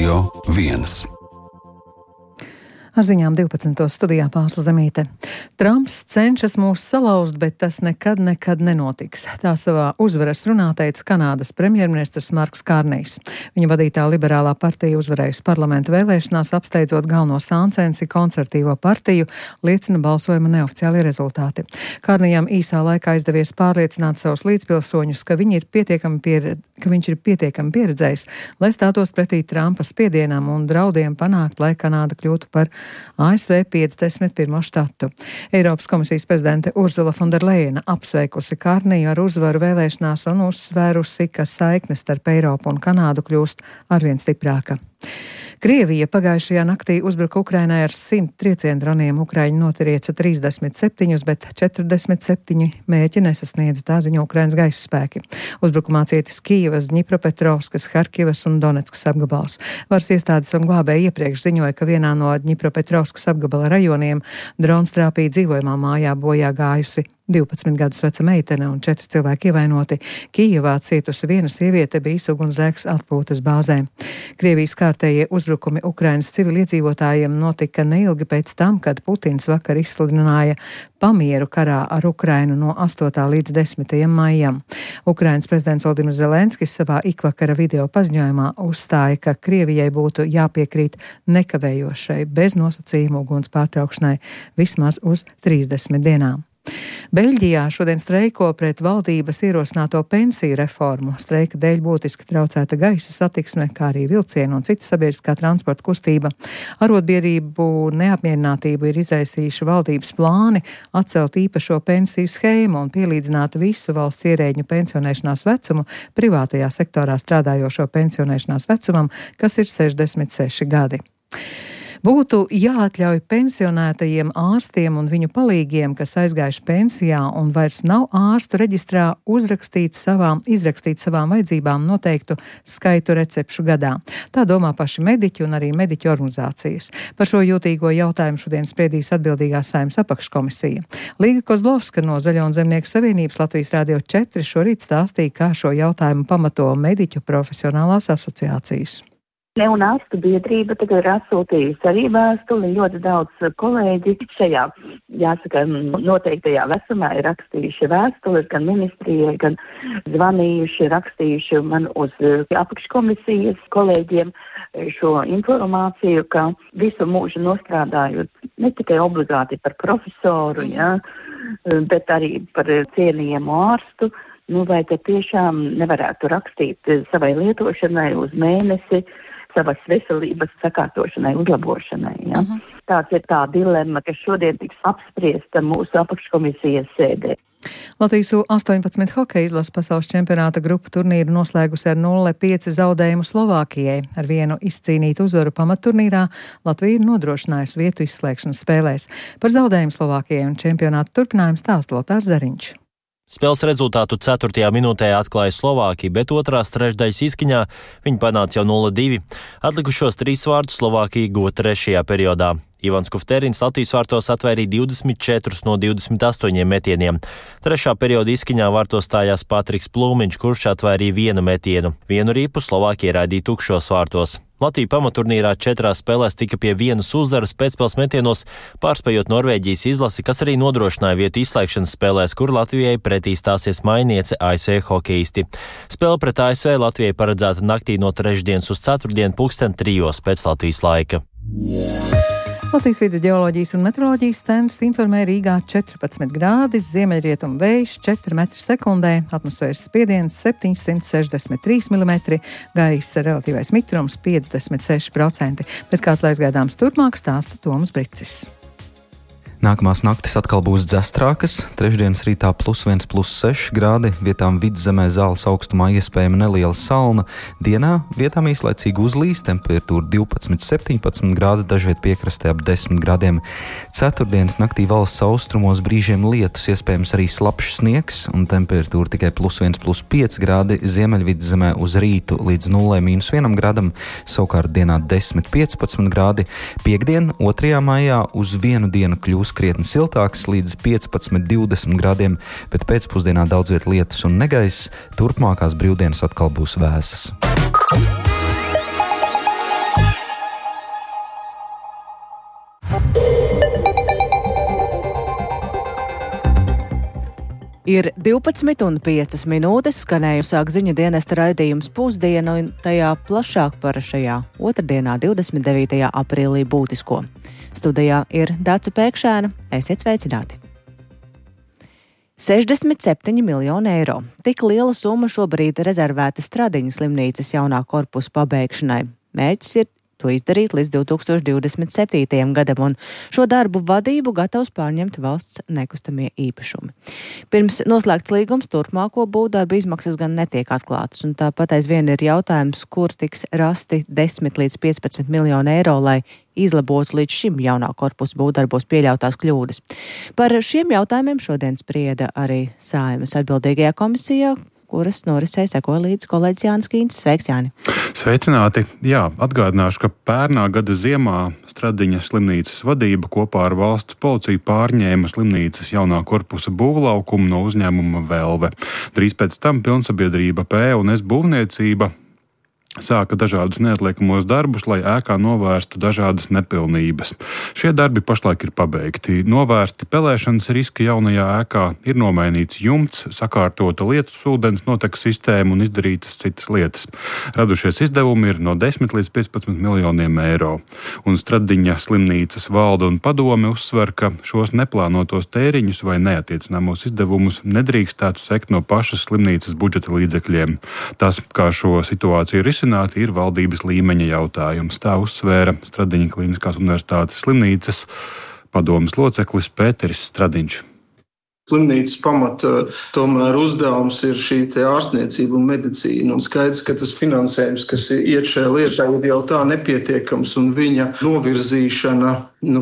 Radio 1. Ar ziņām 12. studijā Pārsla Zemīte. Trumps cenšas mūs salauzt, bet tas nekad nenotiks. Tā savā uzvaras runā teica Kanādas premjerministrs Marks Kārnijs. Viņa vadītā liberālā partija uzvarējusi parlamenta vēlēšanās, apsteidzot galveno sāncensi konservatīvo partiju, liecina balsojuma neoficiālie rezultāti. Kārnijam īsā laikā izdevies pārliecināt savus līdzpilsoņus, ka viņš ir pietiekami pieredzējis, lai stātos pretī Trumpa spiedienam un draudiem panākt, lai Kanāda kļūtu par ASV 51. štatu. Eiropas komisijas prezidente Urzula Fonderlejena apsveikusi Kārniju ar uzvaru vēlēšanās un uzsvērusi, ka saikne starp Eiropu un Kanādu kļūst arvien stiprāka. Krievija pagājušajā naktī uzbruka Ukrainai ar 100 triecienu droniem. Ukraiņi notrieca 37, bet 47 mērķi nesasniedza, tā ziņo Ukrainas gaisa spēki. Uzbrukumā cietis Kijevas, Dņipropetrovskas, Harkivas un Donetskas apgabals. Varas iestādes un glābēji iepriekš ziņoja, ka vienā no Dņipropetrovskas apgabala rajoniem drons trāpīja dzīvojamā mājā, bojā gājusi 12 gadus veca meitene un 4 cilvēki ievainoti. Kijevā cietusi viena sieviete, bijis ugunsgrēks atpūtas bāzē. Krievijas kārtējie uzbrukumi Ukrainas civiliedzīvotājiem notika neilgi pēc tam, kad Putins vakar izsludināja pamieru karā ar Ukrainu no 8. līdz 10. maijam. Ukrainas prezidents Volodimirs Zelenskis savā ikvakara video paziņojumā uzstāja, ka Krievijai būtu jāpiekrīt nekavējošai bez nosacījumu uguns pārtraukšanai vismaz uz 30 dienām. Beļģijā šodien streiko pret valdības ierosināto pensiju reformu. Streika dēļ būtiski traucēta gaisa satiksme, kā arī vilcienu un cita sabiedriskā transporta kustība. Arotbiedrību neapmierinātību ir izraisījuši valdības plāni atcelt īpašo pensiju schēmu un pielīdzināt visu valsts ierēģņu pensionēšanās vecumu privātajā sektorā strādājošo pensionēšanās vecumam, kas ir 66 gadi. Būtu jāatļauj pensionētajiem ārstiem un viņu palīgiem, kas aizgājuši pensijā un vairs nav ārstu reģistrā, izrakstīt savām vajadzībām noteiktu skaitu recepšu gadā. Tā domā paši mediķi un arī mediķu organizācijas. Par šo jūtīgo jautājumu šodien spriedīs atbildīgā Saeimas apakškomisija. Līga Kozlovska no Zaļo un Zemnieku savienības Latvijas Radio 4 šorīt stāstīja, kā šo jautājumu pamato mediķu profesionālās asociācijas. Un ārstu biedrība tagad ir atsūtījusi arī vēstuli. Ļoti daudz kolēģi šajā, jāsaka, noteiktajā vecumā ir rakstījuši vēstules gan ministrijai, gan zvanījuši, rakstījuši man uz apakškomisijas kolēģiem šo informāciju, ka visu mūžu nostrādājot ne tikai obligāti par profesoru, bet arī par cienījamu ārstu. Vai te tiešām nevarētu rakstīt savai lietošanai uz mēnesi, savas veselības sakārtošanai, uzlabošanai. Tāds ir tā dilemma, kas šodien tiks apspriesta mūsu apakškomisijas sēdē. Latvijas U-18 hokeja izlases pasaules čempionāta grupu turnīru noslēgusi ar 0-5 zaudējumu Slovākijai. Ar vienu izcīnītu uzvaru pamatturnīrā Latvija ir nodrošinājusi vietu izslēgšanas spēlēs. Par zaudējumu Slovākijai un čempionāta turpinājumu stāsta Lotārs Zariņš. Spēles rezultātu 4. minūtē atklāja Slovākija, bet otrās trešdaļas izskaņā viņi panāca jau 0-2. Atlikušos 3 vārdus Slovākija guva 3. periodā. Ivans Kufterins Latvijas vārtos atvairīja 24 no 28 metieniem. 3. perioda izskaņā vārtos stājās Patriks Plūmiņš, kurš atvairīja 1 metienu. Vienu rīpu Slovākija raidīja tukšos vārtos. Latvija pamaturnīrā 4 spēlēs tika pie 1 uzvaras pēcspēles metienos, pārspējot Norvēģijas izlasi, kas arī nodrošināja vietu izslēgšanas spēlēs, kur Latvijai pretī stāsies mainiece ASV hokeisti. Spēle pret ASV Latvijai paredzēta naktī no trešdienas uz ceturtdienu 3:00 pēc Latvijas laika. Latvijas vides geoloģijas un meteoroloģijas centrs informē Rīgā 14 grādi, ziemeļrietumu vējš 4 metri sekundē, atmosfēras spiediens 763 mm, gaisa relatīvais mitrums 56%, bet kāds laiks gaidāms turpmāk stāsta Toms Bricis. Nākamās naktis atkal būs dzestrākas, trešdienas rītā +1, +6 grādi, vietām vidzemē zāles augstumā iespējama neliela salna, dienā vietām īslaicīgi uzlīs, temperatūra 12-17 grādi, dažviet piekrastē ap 10 grādiem. Ceturtdienas naktī valsts austrumos brīžiem lietus, iespējams arī slapjš sniegs, un temperatūra tikai +1, +5 grādi, ziemeļvidzemē uz rītu līdz 0-1 grādam, savukārt dienā 10-15 grādi. Piektdien, 2. maijā, uz vienu dienu kļūs krietni siltāks līdz 15-20 grādiem, bet pēcpusdienā daudz viet lietus un negaiss, turpmākās brīvdienas atkal būs vēsas. Ir 12,5 skanēju sāk ziņu dienesta raidījums Pusdiena, un tajā plašāk par šajā otrdienā, 29. aprīlī būtisko. Studijā ir Dace Pēkšēna, esiet sveicināti. 67 miljoni eiro. Tik liela summa šobrīd rezervēta Stradiņas slimnīcas jaunā korpusa pabeigšanai. Mērķis ir to izdarīt līdz 2027. gadam, un šo darbu vadību gatavs pārņemt valsts nekustamie īpašumi. Pirms noslēgts līgums turpmāko būvdarbu izmaksas gan netiek atklātas, un tāpat aizvien ir jautājums, kur tiks rasti 10 līdz 15 miljoni eiro, lai izlabotu līdz šim jaunā korpusa būvdarbos pieļautās kļūdas. Par šiem jautājumiem šodien sprieda arī Saeimas atbildīgajā komisijā, kuras norisē sekoja līdz kolēģis Jānis Kīncis. Sveiks, Jāni! Sveicināti! Jā, atgādināšu, ka pērnā gada ziemā Stradiņas slimnīcas vadība kopā ar valsts policiju pārņēma slimnīcas jaunā korpusa būvlaukumu no uzņēmuma Velve. Drīz pēc tam pilnsabiedrība P&S būvniecība sāka dažādus neatliekamos darbus, lai ēkā novērstu dažādas nepilnības. Šie darbi pašlaik ir pabeigti. Novērsti pelēšanas riski jaunajā ēkā, ir nomainīts jumts, sakārtota lietus ūdens notekas sistēma un izdarītas citas lietas. Radušies izdevumi ir no 10 līdz 15 miljoniem eiro. Un Stradiņa slimnīcas valde un padome uzsver, ka šos neplānotos tēriņus vai neatiecināmos izdevumus nedrīkstētu sekt no pašas slimnīcas budžeta līdzekļiem. Tas, kā šo situāciju ir valdības līmeņa jautājums. Tā uzsvēra Stradiņa Kliniskās universitātes slimnīcas padomes loceklis Pēteris Stradiņš. Slimnīcas pamata tomēr uzdevums ir šī ārstniecība un medicīna. Un skaidrs, ka tas finansējums, kas iet šajā lietā, ir jau tā nepietiekams, un viņa novirzīšana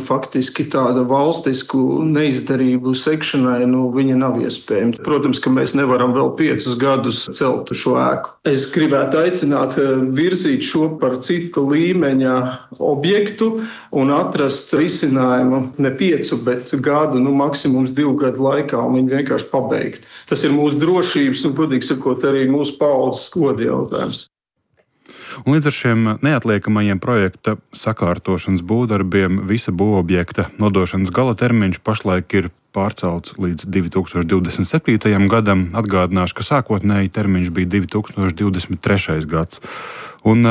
faktiski tāda valstisku neizdarību sekšanai, viņa nav iespējama. Protams, ka mēs nevaram vēl 5 gadus celt šo ēku. Es gribētu aicināt virzīt šo par citu līmeņa objektu un atrast risinājumu ne 5, bet gadu, maksimums 2 gadu laikā, un viņu vienkārši pabeigt. Tas ir mūsu drošības un, godīgi sakot, arī mūsu paaudzes goda jautājums. Un līdz ar šiem neatliekamajiem projekta sakārtošanas būvdarbiem visa būvobjekta nodošanas gala termiņš pašlaik ir pārcelts līdz 2027. gadam. Atgādināšu, ka sākotnēji termiņš bija 2023. gads. Un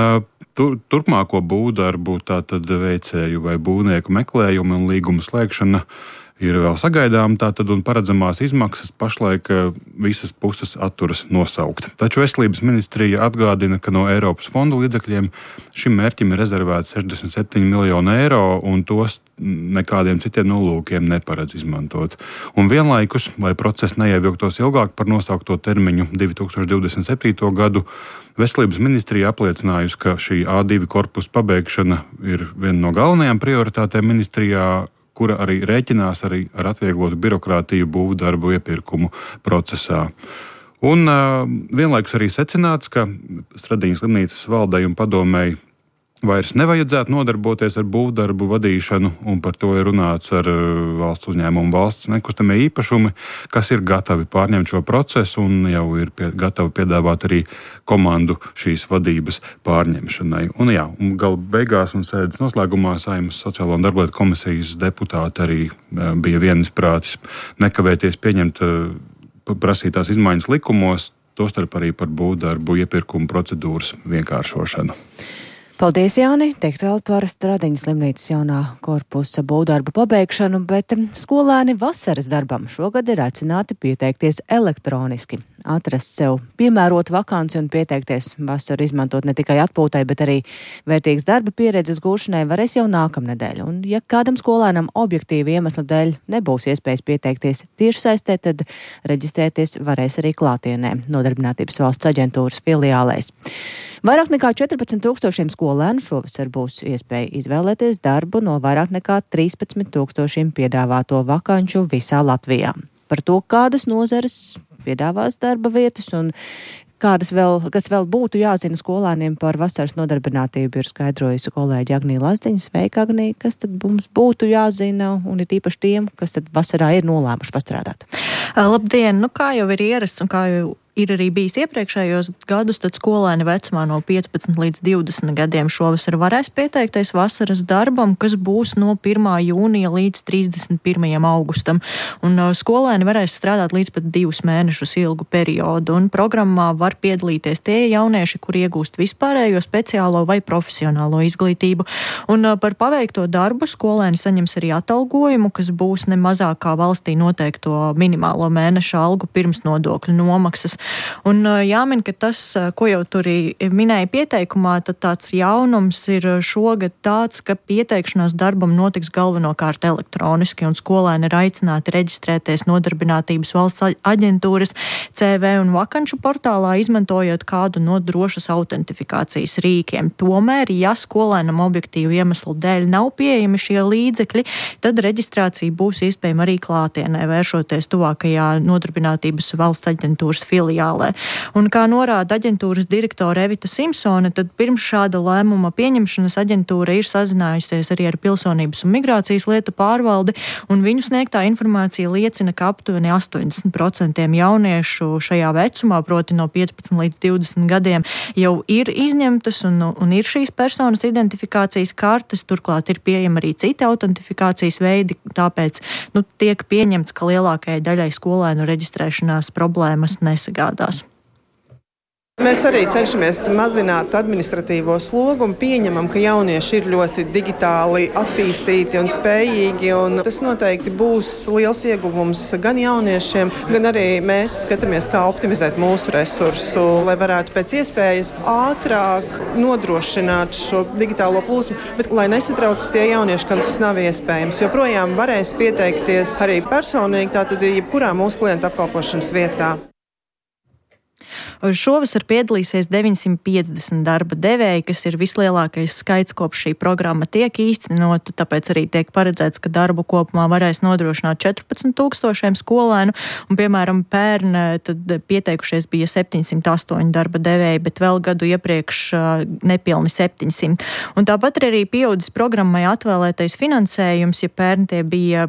turpmāko būvdarbu, tātad veicēju vai būvnieku meklējumu un līgumu slēgšana ir vēl sagaidām, tātad un paredzamās izmaksas pašlaik visas puses atturas nosaukt. Taču Veselības ministrija atgādina, ka no Eiropas fondu līdzekļiem šim mērķim ir rezervēts 67 miljoni eiro, un tos nekādiem citiem nolūkiem neparedz izmantot. Un vienlaikus, lai process neievilktos ilgāk par nosaukto termiņu 2027. gadu, Veselības ministrija apliecinājusi, ka šī A2 korpusa pabeigšana ir viena no galvenajām prioritātēm ministrijā, kura arī rēķinās ar atvieglotu birokrātiju būvdarbu iepirkumu procesā. Un vienlaikus arī secināts, ka Stradiņas slimnīcas valdei un padomei vairs nevajadzētu nodarboties ar būvdarbu vadīšanu, un par to ir runāts ar valsts uzņēmumu valsts nekustamie īpašumi, kas ir gatavi pārņemt šo procesu un jau ir gatavi piedāvāt arī komandu šīs vadības pārņemšanai. Un gala beigās un sēdes noslēgumā Saeimas Sociālo un darblietu komisijas deputāti arī bija vienisprātis nekavēties pieņemt prasītās izmaiņas likumos, tostarp arī par būvdarbu iepirkumu procedūras vienkāršošanu. Paldies, Jāni! Teikt vēl par Stradiņas slimnīcas jaunā korpusa būvdarbu pabeigšanu, bet skolēni vasaras darbam šogad ir aicināti pieteikties elektroniski. Atrast sev piemērotu vakanci un pieteikties vasaru izmantot ne tikai atpūtai, bet arī vērtīgas darba pieredzes gūšanai varēs jau nākamnedēļ. Un ja kādam skolēnam objektīvi iemeslu dēļ nebūs iespējas pieteikties tiešsaistē, tad reģistrēties varēs arī klātienē Nodarbinātības valsts aģentūras filiālēs. Vairāk nekā 14,000 skolēnu šovasar būs iespēja izvēlēties darbu no vairāk nekā 13,000 piedāvāto vakanču visā Latvijā. Par to, kādas nozares piedāvās darba vietas un kas vēl būtu jāzina skolēniem par vasaras nodarbinātību, ir skaidrojusi kolēģi Agnija Lazdiņa. Sveika, Agnija! Kas tad mums būtu jāzina un ir īpaši tiem, kas tad vasarā ir nolēmuši pastrādāt? Labdien! Kā jau ir ierasts un kā jau ir arī bijis iepriekšējos gadus, tad skolēni vecumā no 15 līdz 20 gadiem šovasar varēs pieteikties vasaras darbam, kas būs no 1. jūnija līdz 31. augustam. Un skolēni varēs strādāt līdz pat 2 mēnešus ilgu periodu, un programmā var piedalīties tie jaunieši, kuri iegūst vispārējo, speciālo vai profesionālo izglītību. Un par paveikto darbu skolēni saņems arī atalgojumu, kas būs ne mazāk kā valstī noteikto minimālo mēneša algu pirms nodokļu nomaksas. Un jāmin, ka tas, ko jau tur minēja pieteikumā, tad tāds jaunums ir šogad tāds, ka pieteikšanās darbam notiks galvenokārt elektroniski, un skolēni ir aicināti reģistrēties Nodarbinātības valsts aģentūras CV un vakanču portālā, izmantojot kādu no drošas autentifikācijas rīkiem. Tomēr, ja skolēnam objektīvu iemeslu dēļ nav pieejami šie līdzekļi, tad reģistrācija būs iespējama arī klātienē, vēršoties tuvākajā Nodarbinātības valsts aģentūras filiālē. Un kā norāda aģentūras direktore Evita Simpsone, tad pirms šāda lēmuma pieņemšanas aģentūra ir sazinājusies arī ar Pilsonības un migrācijas lietu pārvaldi, un viņu sniegtā informācija liecina, ka aptuveni 80% jauniešu šajā vecumā, proti no 15 līdz 20 gadiem, jau ir izņemtas un ir šīs personas identifikācijas kartes, turklāt ir pieejama arī citi autentifikācijas veidi, tāpēc tiek pieņemts, ka lielākajai daļai skolēnu reģistrēšanās problēmas nesagādās. Mēs arī cenšamies mazināt administratīvo slogu un pieņemam, ka jaunieši ir ļoti digitāli attīstīti un spējīgi. Un tas noteikti būs liels ieguvums gan jauniešiem, gan arī mēs skatāmies, kā optimizēt mūsu resursu, lai varētu pēc iespējas ātrāk nodrošināt šo digitālo plūsmu. Bet, lai nesatraucas tie jaunieši, kam tas nav iespējams, joprojām varēs pieteikties arī personīgi, tātad jebkurā mūsu klientu apkalpošanas vietā. Šovasar piedalīsies 950 darba devēji, kas ir vislielākais skaits, kopš šī programma tiek īstenota, tāpēc arī tiek paredzēts, ka darbu kopumā varēs nodrošināt 14 000 skolēnu, un, piemēram, pērn tad pieteikušies bija 708 darba devēji, bet vēl gadu iepriekš nepilni 700. Un tāpat arī pieaudzis programmai atvēlētais finansējums, ja pērn tie bija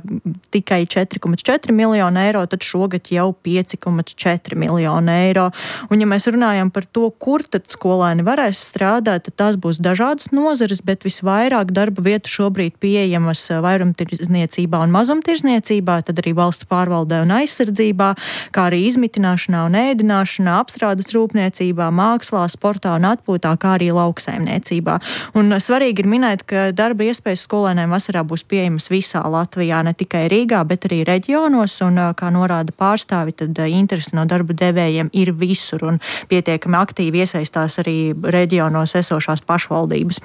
tikai 4,4 miljonu eiro, tad šogad jau 5,4 miljonu eiro. Un, ja mēs runājam par to, kur tad skolēni varēs strādāt, tad tās būs dažādas nozares, bet visvairāk darba vietu šobrīd pieejamas vairumtirdzniecībā un mazumtirdzniecībā, tad arī valsts pārvaldē un aizsardzībā, kā arī izmitināšanā un ēdināšanā, apstrādes rūpniecībā, mākslā, sportā un atpūtā, kā arī lauksaimniecībā. Un svarīgi ir minēt, ka darba iespējas skolēniem vasarā būs pieejamas visā Latvijā, ne tikai Rīgā, bet arī reģionos, un, kā norāda pārstāvi, tad interesi no darba devējiem ir visur, un pietiekami aktīvi iesaistās arī reģionos esošās pašvaldības.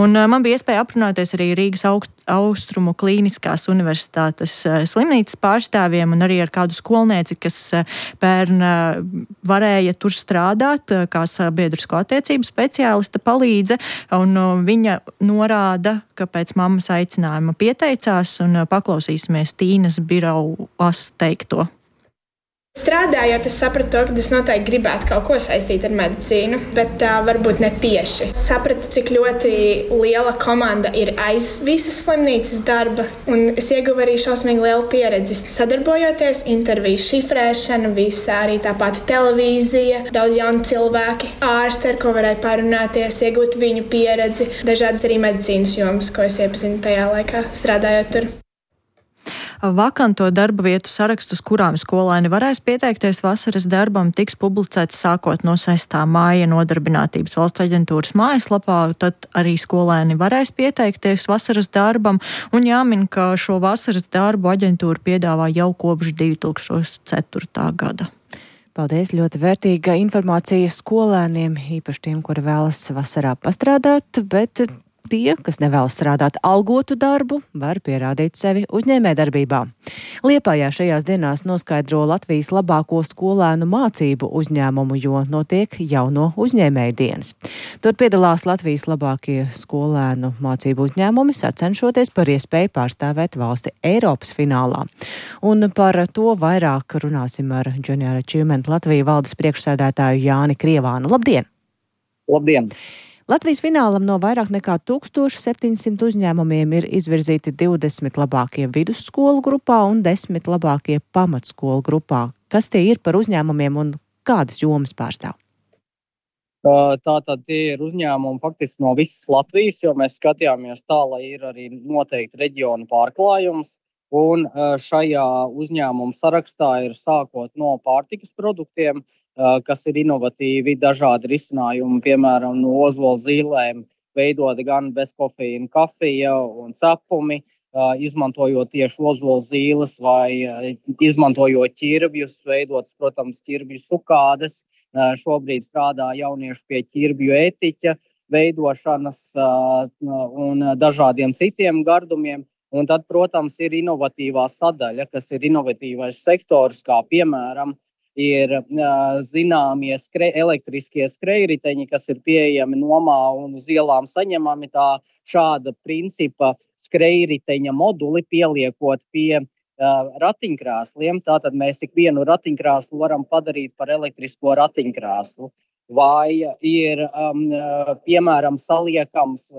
Un man bija iespēja aprunāties arī Rīgas Austrumu Klīniskās universitātes slimnīcas pārstāvjiem un arī ar kādu skolnieci, kas pērn varēja tur strādāt kā sabiedrisko attiecību speciālista palīdze, un viņa norāda, ka pēc mammas aicinājuma pieteicās, un paklausīsimies Tīnas Birovas teikto. Strādājot, es sapratu to, ka es noteikti gribētu kaut ko saistīt ar medicīnu, bet varbūt ne tieši. Sapratu, cik ļoti liela komanda ir aiz visas slimnīcas darba, un es ieguvu arī šausmīgi lielu pieredzi sadarbojoties, interviju šifrēšana, visa arī tā pati televīzija, daudz jauni cilvēki, ārsti, ar ko varēja parunāties, iegūt viņu pieredzi, dažādas arī medicīnas jomas, ko es iepazinu tajā laikā strādājot tur. Vakanto darba vietu sarakstus, kurām skolēni varēs pieteikties vasaras darbam, tiks publicēts sākot no 6. māja Nodarbinātības valsts aģentūras mājaslapā, tad arī skolēni varēs pieteikties vasaras darbam, un jāmin, ka šo vasaras darbu aģentūra piedāvā jau kopš 2004. gada. Paldies, ļoti vērtīga informācija skolēniem, īpaši tiem, kuri vēlas vasarā pastrādāt, bet tie, kas nevēlas strādāt algotu darbu, var pierādīt sevi uzņēmējdarbībā. Liepājā šajās dienās noskaidro Latvijas labāko skolēnu mācību uzņēmumu, jo notiek jauno uzņēmēju dienas. Tur piedalās Latvijas labākie skolēnu mācību uzņēmumi, sacenšoties par iespēju pārstāvēt valsti Eiropas finālā. Un par to vairāk runāsim ar Junior Achievement Latviju valdes priekšsēdētāju Jāni Krievānu. Labdien! Labdien! Latvijas finālam no vairāk nekā 1700 uzņēmumiem ir izvirzīti 20 labākie vidusskolu grupā un 10 labākie pamatskolu grupā. Kas tie ir par uzņēmumiem un kādas jomas pārstāv? Tātad tie ir uzņēmumi faktiski no visas Latvijas, jo mēs skatījāmies tā, lai ir arī noteikti reģionu pārklājums. Un šajā uzņēmuma sarakstā ir sākot no pārtikas produktiem, kas ir inovatīvi, dažādi risinājumi, piemēram, no ozola zīlēm, veidot gan bezkofeīna kafija un cepumi, izmantojot tieši ozola zīles vai izmantojot ķirbjus, veidot, protams, ķirbju sukādes. Šobrīd strādā jaunieši pie ķirbju ētiķa veidošanas un dažādiem citiem gardumiem. Un tad, protams, ir inovatīvā sadaļa, kas ir inovatīvais sektors, kā piemēram ir zināmie elektriskie skrejriteņi, kas ir pieejami nomā un uz ielām saņemami. Šāda principa skrejriteņa moduli pieliekot pie ratiņkrēsliem. Tātad mēs ikvienu ratiņkrēslu varam padarīt par elektrisko ratiņkrēslu. Vai ir, piemēram, saliekams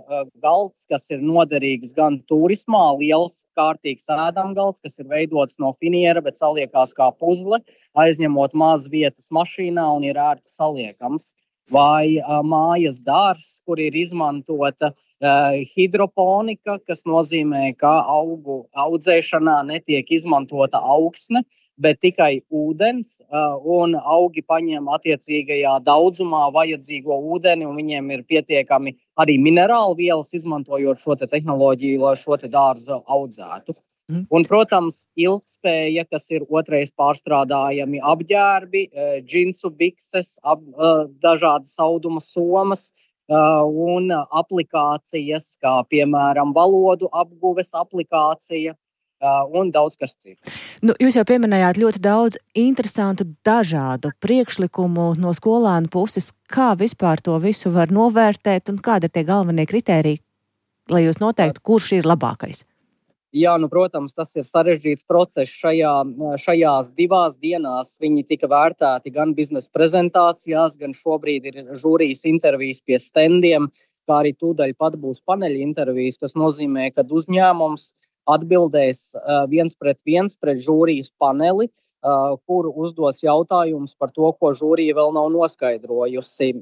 galds, kas ir noderīgs gan turismā, liels kārtīgs ēdamgalds, kas ir veidots no finiera, bet saliekās kā puzle, aizņemot maz vietas mašīnā un ir ērti saliekams. Vai mājas dārs, kur ir izmantota hidroponika, kas nozīmē, ka augu audzēšanā netiek izmantota augsne, bet tikai ūdens, un augi paņem attiecīgajā daudzumā vajadzīgo ūdeni, un viņiem ir pietiekami arī minerālu vielas, izmantojot šo te tehnoloģiju, lai šo te dārzu audzētu. Un, protams, ilgspēja, kas ir otrais pārstrādājami apģērbi, džinsu bikses, dažādas auduma somas un aplikācijas, kā piemēram valodu apguves aplikācija, un daudz kas cits. Jūs jau pieminējāt ļoti daudz interesantu dažādu priekšlikumu no skolēnu puses. Kā vispār to visu var novērtēt un kādi ir tie galvenie kritēriji, lai jūs noteiktu, kurš ir labākais? Jā, protams, tas ir sarežģīts process. Šajās 2 dienās viņi tika vērtēti gan biznesa prezentācijās, gan šobrīd ir žūrijas intervijas pie standiem, kā arī tūdaļ pat būs paneļa intervijas, kas nozīmē, ka uzņēmums atbildēs 1 pret 1 pret žūrijas paneli, kur uzdos jautājumus par to, ko žūrija vēl nav noskaidrojusi.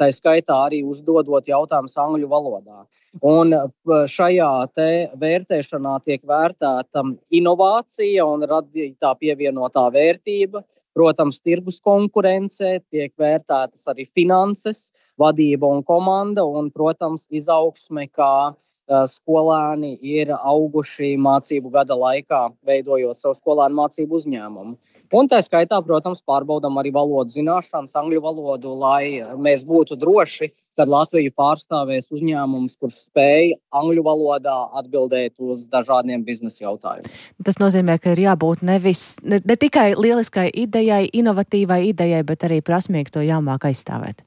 Tā skaitā arī uzdodot jautājumus angļu valodā. Un šajā te vērtēšanā tiek vērtēta inovācija un radītā pievienotā vērtība. Protams, tirgus konkurence, tiek vērtētas arī finanses, vadība un komanda un, protams, izaugsme, kā skolēni ir auguši mācību gada laikā, veidojot savu skolēnu mācību uzņēmumu. Un tā skaitā, protams, pārbaudam arī valodu zināšanas, angļu valodu, lai mēs būtu droši, kad Latviju pārstāvēs uzņēmums, kurš spēj angļu valodā atbildēt uz dažādiem biznesa jautājumiem. Tas nozīmē, ka ir jābūt ne tikai lieliskai idejai, inovatīvai idejai, bet arī prasmīgi to jāmāk aizstāvēt.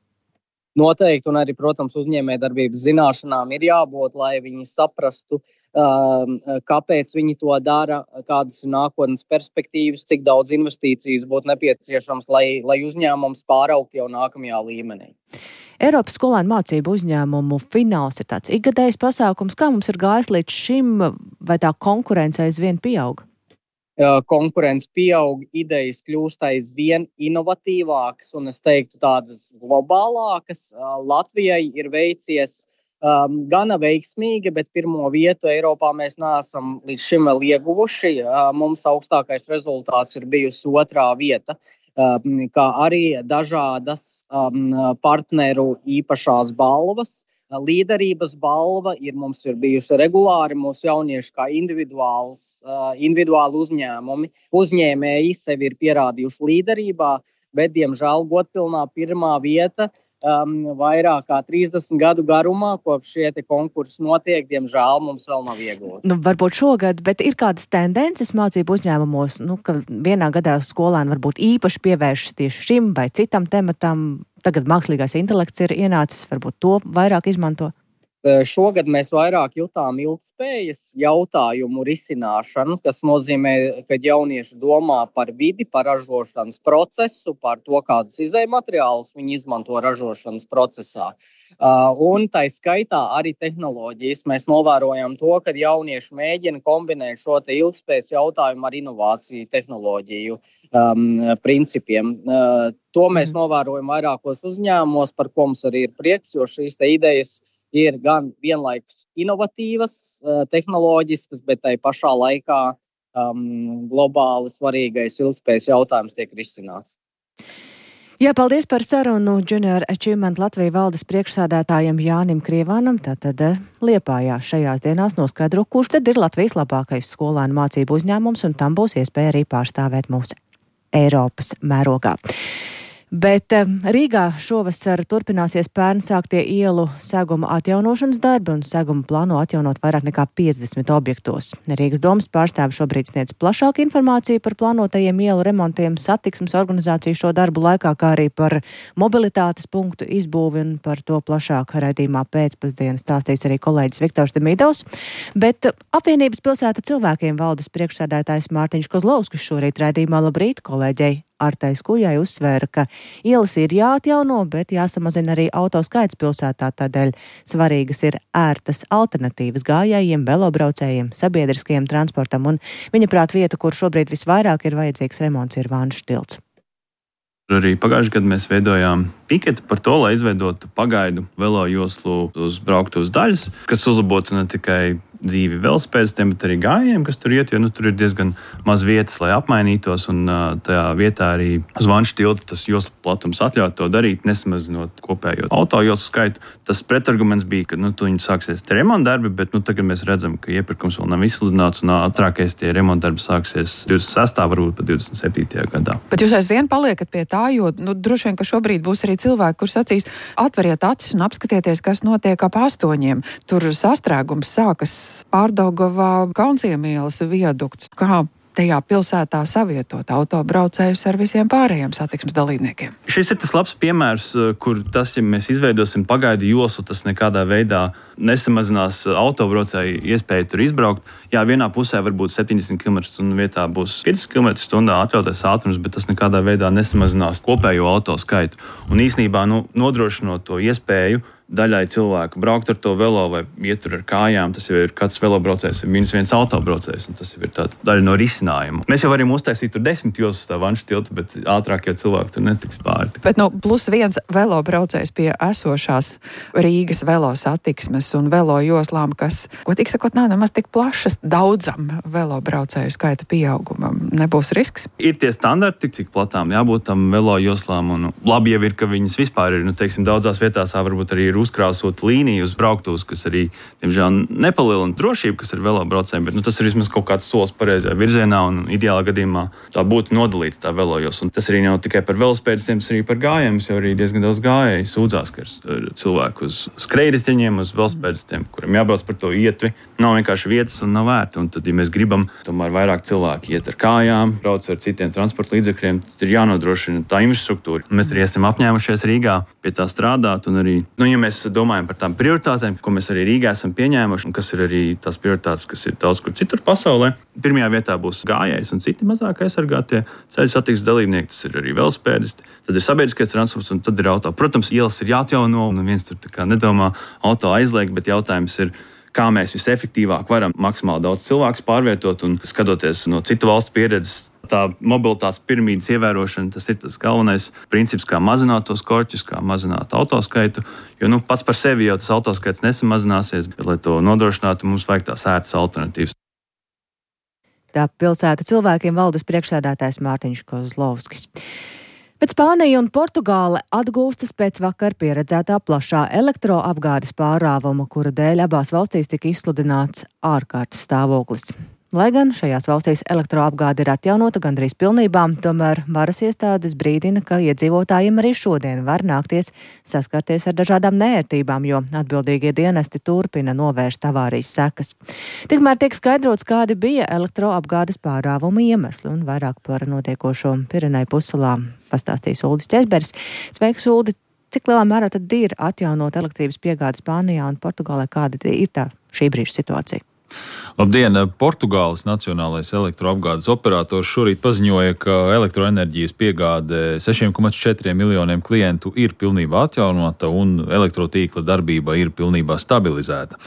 Noteikti, un arī, protams, uzņēmējdarbības zināšanām ir jābūt, lai viņi saprastu, kāpēc viņi to dara, kādas ir nākotnes perspektīvas, cik daudz investīcijas būtu nepieciešams, lai uzņēmums pāraugtu jau nākamajā līmenī. Eiropas skolēnu mācību uzņēmumu fināls ir tāds ikgadējs pasākums. Kā mums ir gājis līdz šim, vai tā konkurence aizvien pieaug? Konkurence pieaug, idejas kļūst aizvien inovatīvākas un es teiktu tādas globālākas. Latvijai ir veicies gana veiksmīgi, bet pirmo vietu Eiropā mēs neesam līdz šim vēl ieguvuši. Mums augstākais rezultāts ir bijusi 2. vieta, kā arī dažādas partneru īpašās balvas. Līderības balva mums ir bijusi regulāri, mūsu jaunieši kā individuāli uzņēmēji sevi ir pierādījuši līderībā, bet, diemžēl, godpilnā 1. vieta vairāk kā 30 gadu garumā, kopš šie konkursi notiek, diemžēl mums vēl nav iegūti. Varbūt šogad, bet ir kādas tendences mācību uzņēmumos, ka vienā gadā skolēni varbūt īpaši pievēršas tieši šim vai citam tematam. Tagad mākslīgais intelekts ir ienācis, varbūt to vairāk izmanto. Šogad mēs vairāk jutām ilgtspējas jautājumu risināšanu, kas nozīmē, ka jaunieši domā par vidi, par ražošanas procesu, par to, kādus izejmateriālus viņi izmanto ražošanas procesā. Un tā skaitā arī tehnoloģijas. Mēs novērojam to, ka jaunieši mēģina kombinēt šo te ilgtspējas jautājumu ar inovāciju tehnoloģiju principiem. To mēs novērojam vairākos uzņēmumos, par ko mums arī ir prieks, jo šīs te idejas ir gan vienlaikus inovatīvas, tehnoloģiskas, bet tai pašā laikā globāli svarīgais ilgtspējas jautājums tiek risināts. Jā, paldies par sarunu Junior Achievement Latvijas valdes priekšsēdētājam Jānim Krievānam. Tātad Liepājā šajās dienās noskaidro, kurš tad ir Latvijas labākais skolēnu mācību uzņēmums, un tam būs iespēja arī pārstāvēt mūsu Eiropas mērogā. Bet Rīgā šovasar turpināsies pērn sāktie ielu seguma atjaunošanas darbi, un segumu plāno atjaunot vairāk nekā 50 objektos. Rīgas domas pārstāvi šobrīd sniedz plašāku informāciju par plānotajiem ielu remontiem, satiksmes organizāciju šo darbu laikā, kā arī par mobilitātes punktu izbūvi, un par to plašāk raidījumā pēcpusdienas stāstīs arī kolēģis Viktors Demidovs. Bet apvienības pilsēta cilvēkiem valdes priekšsēdētājs Mārtiņš Kozlovskis šorīt raidījumā Labrīt kolēģei Artai Skujai uzsvēra, ka ielas ir jāatjauno, bet jāsamazina arī auto skaits pilsētā, tādēļ svarīgas ir ērtas alternatīvas gājējiem, velobraucējiem, sabiedriskajiem transportam, un viņa prāt vieta, kur šobrīd visvairāk ir vajadzīgs remonts, ir Vanšu tilts. Arī pagājušajā gadā mēs veidojām piketi par to, lai izveidotu pagaidu velo joslu uz brauktuves daļas, kas uzlabotu ne tikai dzīvi velosipēdistiem, bet arī gājējiem, kas tur iet, jo tur ir diezgan maz vietas, lai apmainītos, un tajā vietā arī uz Vanšu tilta tas joslu platums atļaut to darīt, nesamazinot kopējo auto joslu skaitu. Tas pretarguments bija, ka tuņi sāksies remonta darbi, bet tagad mēs redzam, ka iepirkums vēl nav izsludināts, un ātrākais tie remonta darbi sāksies 26. varbūt pat 27. gadā. Bet jūs aizvien paliekat pie tā, jo droši vien, ka šobrīd būs arī cilvēki, kur sacīs, atveriet acis un apskatieties, kas notiek ap 8. Tur sastrēgums sākas Pārdaugavā, Kaunciemielas viadukts. Kā tajā pilsētā savietot autobraucējus ar visiem pārējiem satiksmes dalībniekiem? Šis ir tas labs piemērs, kur tas, ja mēs izveidosim pagaidu joslu, tas nekādā veidā nesamazinās autobraucēju iespēju tur izbraukt. Jā, vienā pusē varbūt 70 km/h vietā būs 50 km/h atļautais ātrums, bet tas nekādā veidā nesamazinās kopējo auto skaitu. Un īsnībā nodrošinot to iespēju daļai cilvēku braukt ar to velo vai iet tur ar kājām, tas jau ir katrs velobraucējs, ir -1 autobraucējs, un tas jau ir tāds daļa no risinājuma. Mēs jau varam uztaisīt tur 10 joslas tā Vanšu tilta, bet ātrāk jau cilvēki tur netiks pāri. Bet +1 velobraucējs pie esošās Rīgas velo satiksmes un velo joslām, kas, ko tik sakot, nav nemaz tik plašas daudzam velobraucēju skaita pieaugumam. Nebūs risks? Ir tie standarti, cik platām jābūt tam velo joslām, un labi jau ir, ka viņas vispār ir, teiksim, daudzās vietās varbūt arī ir uzkrāsot līniju uz brauktuves, kas arī, diemžēl, nepalielina drošību, kas ir velobraucējiem, bet tas ir vismaz kaut kāds solis pareizajā virzienā, un ideālā gadījumā tā būtu nodalīts tā velojos. Un tas arī nav tikai par velospēdistiem, tas arī par gājējiem, jo arī diezgan daudz gājēji sūdzās, ka ir cilvēki uz skrejriteņiem, uz velospēdistiem, kuriem jābrauc par to ietvi. Nav vienkārši vietas un nav vērti. Un tad, ja mēs gribam tomēr vairāk cilvēki iet ar kājām, brauc ar citiem transporta līdzekļiem, tad ir jānodrošina tā infrastruktūra. Mēs arī esam apņēmušies Rīgā pie tā strādāt, un arī, ja mēs domājam par tām prioritātēm, ko mēs arī Rīgā esam pieņēmuši, un kas ir arī tās prioritātes, kas ir daudz kur citur pasaulē. Pirmajā vietā būs gājējs un citi mazāk aizsargātie ceļu satiksmes dalībnieki, tas ir arī velospēdisti, tad ir sabiedriskais transports un tad ir auto. Protams, ielas ir jāatjauno, un viens tur tā kā nedomā auto aizliegt, bet jautājums ir, kā mēs visefektīvāk varam maksimāli daudz cilvēkus pārvietot, un skatoties no citu valstu pieredzes, tā mobilitātes piramīdas ievērošana, tas ir tas galvenais princips, kā mazināt tos korķus, kā mazināt autoskaitu, jo pats par sevi jau tas autoskaits nesamazināsies, bet, lai to nodrošinātu, mums vajag tās ērtas alternatīvas. Tā pilsēta cilvēkiem valdes priekšsēdētājs Mārtiņš Kozlovskis. Bet Spānija un Portugāle atgūstas pēc vakar pieredzētā plašā elektroapgādes pārāvuma, kura dēļ abās valstīs tika izsludināts ārkārtas stāvoklis. Lai gan šajās valstīs elektroapgāde ir atjaunota gandrīz pilnībā, tomēr varas iestādes brīdina, ka iedzīvotājiem arī šodien var nākties saskarties ar dažādām neērtībām, jo atbildīgie dienesti turpina novērst avārijas sekas. Tikmēr tiek skaidrots, kādi bija elektroapgādes pārāvuma iemesli, un vairāk par notiekošo Pireneju pussalā pastāstīs Uldis Ķezberis. Sveiks, Uldi! cik lielā mērā tad ir atjaunot elektrības piegādi Spānijā un Portugālē? Kāda ir tā šī brīža situācija? Labdien! Portugāles nacionālais elektroapgādes operators šorīt paziņoja, ka elektroenerģijas piegāde 6,4 miljoniem klientu ir pilnībā atjaunota un elektrotīkla darbība ir pilnībā stabilizēta.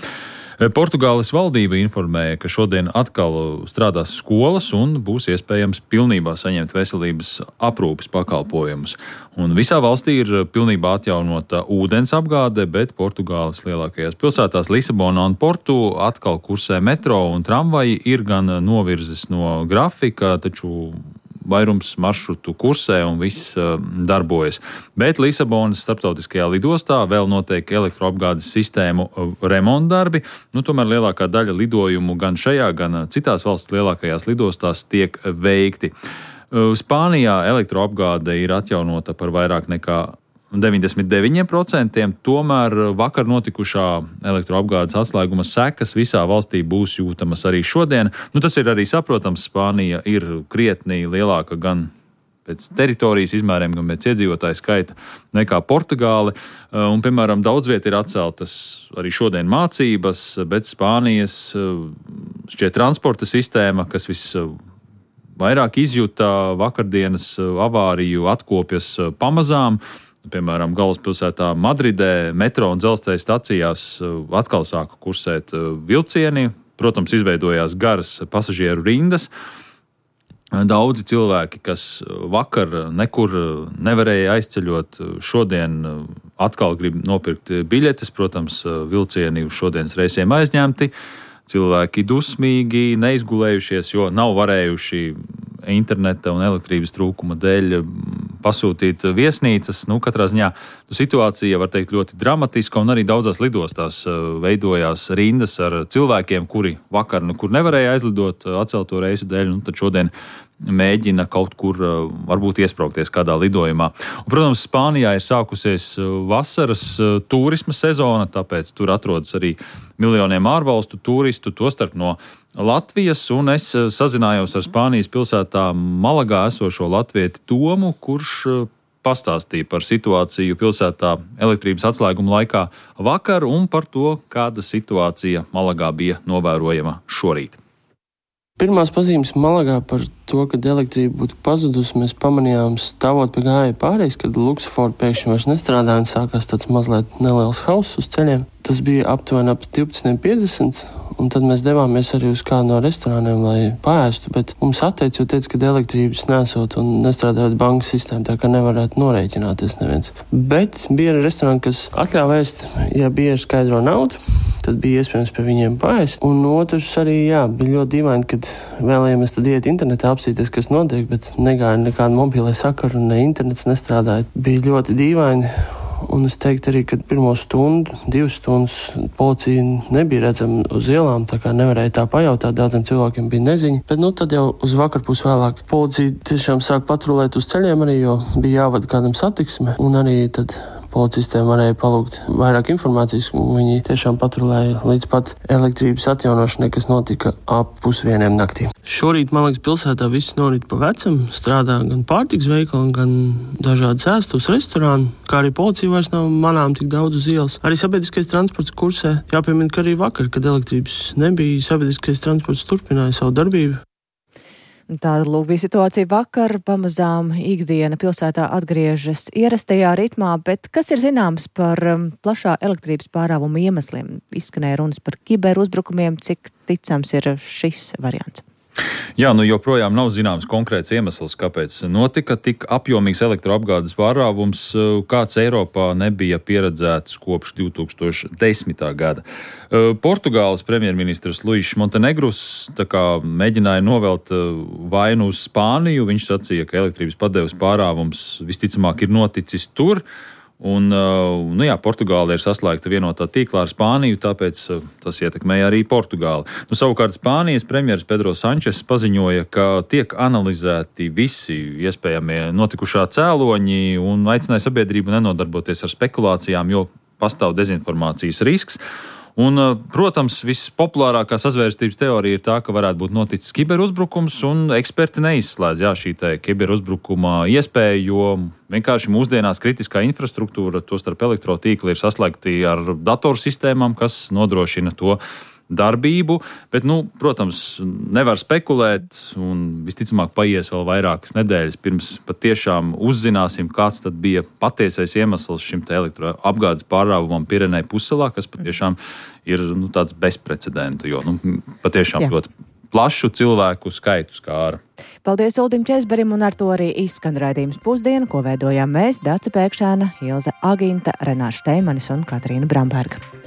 Portugāles valdība informēja, ka šodien atkal strādās skolas un būs iespējams pilnībā saņemt veselības aprūpes pakalpojumus. Un visā valstī ir pilnībā atjaunota ūdens apgāde, bet Portugāles lielākajās pilsētās Lisabonā un Portu atkal kursē metro un tramvaji ir gan novirzes no grafika, taču vairums maršrutu kursē un viss darbojas. Bet Lisabonas starptautiskajā lidostā vēl notiek elektroapgādes sistēmu remontdarbi. Tomēr lielākā daļa lidojumu gan šajā, gan citās valsts lielākajās lidostās tiek veikti. Spānijā elektroapgāde ir atjaunota par vairāk nekā 99%, tomēr vakar notikušā elektroapgādes atslēguma sekas visā valstī būs jūtamas arī šodien. Tas ir arī saprotams, Spānija ir krietni lielāka gan pēc teritorijas izmēriem, gan pēc iedzīvotāju skaita nekā Portugāle. Un, piemēram, daudz viet ir atceltas arī šodien mācības, bet Spānijas šķiet transporta sistēma, kas visvairāk izjuta vakardienas avāriju, atkopjas pamazām. Piemēram, galvaspilsētā Madridē metro un dzelzceļa stacijās atkal sāka kursēt vilcieni. Protams, izveidojās garas pasažieru rindas. Daudzi cilvēki, kas vakar nekur nevarēja aizceļot, šodien atkal grib nopirkt biļetes. Protams, vilcieni uz šodienas reisiem aizņemti. Cilvēki dusmīgi, neizgulējušies, jo nav varējuši interneta un elektrības trūkuma dēļ pasūtīt viesnīcas. Katrā ziņā situācija, var teikt, ļoti dramatiska, un arī daudzās lidostās veidojās rindas ar cilvēkiem, kuri vakar nekur nevarēja aizlidot atcelto reisu dēļ, tad šodien mēģina kaut kur varbūt iesprāgties kādā lidojumā. Un, protams, Spānijā ir sākusies vasaras turisma sezona, tāpēc tur atrodas arī miljoniem ārvalstu turistu, tostarp no Latvijas, un es sazinājos ar Spānijas pilsētā Malagā esošo latvieti Tomu, kurš pastāstīja par situāciju pilsētā elektrības atslēguma laikā vakar un par to, kāda situācija Malagā bija novērojama šorīt. Pirmās pazīmes Malagā par to, kad elektrība būtu pazudusi, mēs pamanījām stāvot pie gājēju pārējais, kad Luxford pēkšņi vairs nestrādāja un sākās tāds mazliet neliels hauss uz ceļiem. Tas bija aptuveni ap 12:50, un tad mēs devāmies arī uz kādu no restorāniem, lai paēstu, bet mums atteica, jo teica, ka elektrības nesot un nestrādājot bankas sistēmu, tā kā nevarētu norēķināties neviens. Bet bija arī restorāni, kas atļāva ēst, ja bija skaidro naudu, tad bija iespējams pie viņiem paēst. Un otrs arī, bija ļoti dīvaini, kad vēlējāmies tad iet internetā apsīties, kas notiek, bet negāja nekādu mobilē sakaru, ne internets nestrādāja. Bija ļoti dīvaini. Un es teiktu arī, ka pirmo stundu, 2 stundas policija nebija redzama uz ielām, tā kā nevarēja tā pajautāt, daudziem cilvēkiem bija neziņa. Bet tad jau uz vakarpus vēlāk policija tiešām sāk patrulēt uz ceļiem arī, jo bija jāvada kādam satiksme, un arī tad policistiem varēja palūgt vairāk informācijas, un viņi tiešām patrulēja līdz pat elektrības atjaunošanai, kas notika ap 1:30 naktī. Šorīt, man liekas, pilsētā viss norit pa vecam, strādā gan pārtiks veikali, gan dažādas ēstus restorāni, kā arī policija vairs nav manām tik daudz uz ielas. Arī sabiedriskais transports kursē. Jāpiemina, ka arī vakar, kad elektrības nebija, sabiedriskais transports turpināja savu darbību. Tāda bija situācija vakar. Pamazām ikdiena pilsētā atgriežas ierastajā ritmā, bet kas ir zināms par plašā elektrības pārāvuma iemesliem? Izskanēja runas par kiberuzbrukumiem, cik ticams ir šis variants? Jā, joprojām nav zināms konkrēts iemesls, kāpēc notika tik apjomīgs elektroapgādes pārāvums, kāds Eiropā nebija pieredzēts kopš 2010. gada. Portugāles premjerministrs Luis Montenegrus mēģināja novelt vainu uz Spāniju. Viņš sacīja, ka elektrības padeves pārāvums visticamāk ir noticis tur. Un, Portugāla ir saslēgta vienotā tīklā ar Spāniju, tāpēc tas ietekmēja arī Portugāli. Savukārt Spānijas premjeras Pedro Sančes paziņoja, ka tiek analizēti visi iespējamie notikušā cēloņi un aicināja sabiedrību nenodarboties ar spekulācijām, jo pastāv dezinformācijas risks. Un, protams, vispopulārākā sazvērstības teorija ir tā, ka varētu būt noticis kiberuzbrukums, un eksperti neizslēdz šī kiberuzbrukuma iespēju, jo vienkārši mūsdienās kritiskā infrastruktūra, tostarp elektrotīkli, ir saslēgti ar datorsistēmām, kas nodrošina to darbību, bet, protams, nevar spekulēt, un visticamāk paies vēl vairākas nedēļas, pirms patiešām uzzināsim, kāds tad bija patiesais iemesls šim elektroapgādes pārrāvumam Pirenei pussalā, kas patiešām ir tāds bezprecedenta, jo patiešām ļoti plašu cilvēku skaitu skāra. Paldies Uldim Česberim, un ar to arī izskan raidījums Pusdiena, ko veidojām mēs, Dace Pēkšēna, Ilze Aginta, Renārs Šteimanis un Katrīna Bramberga.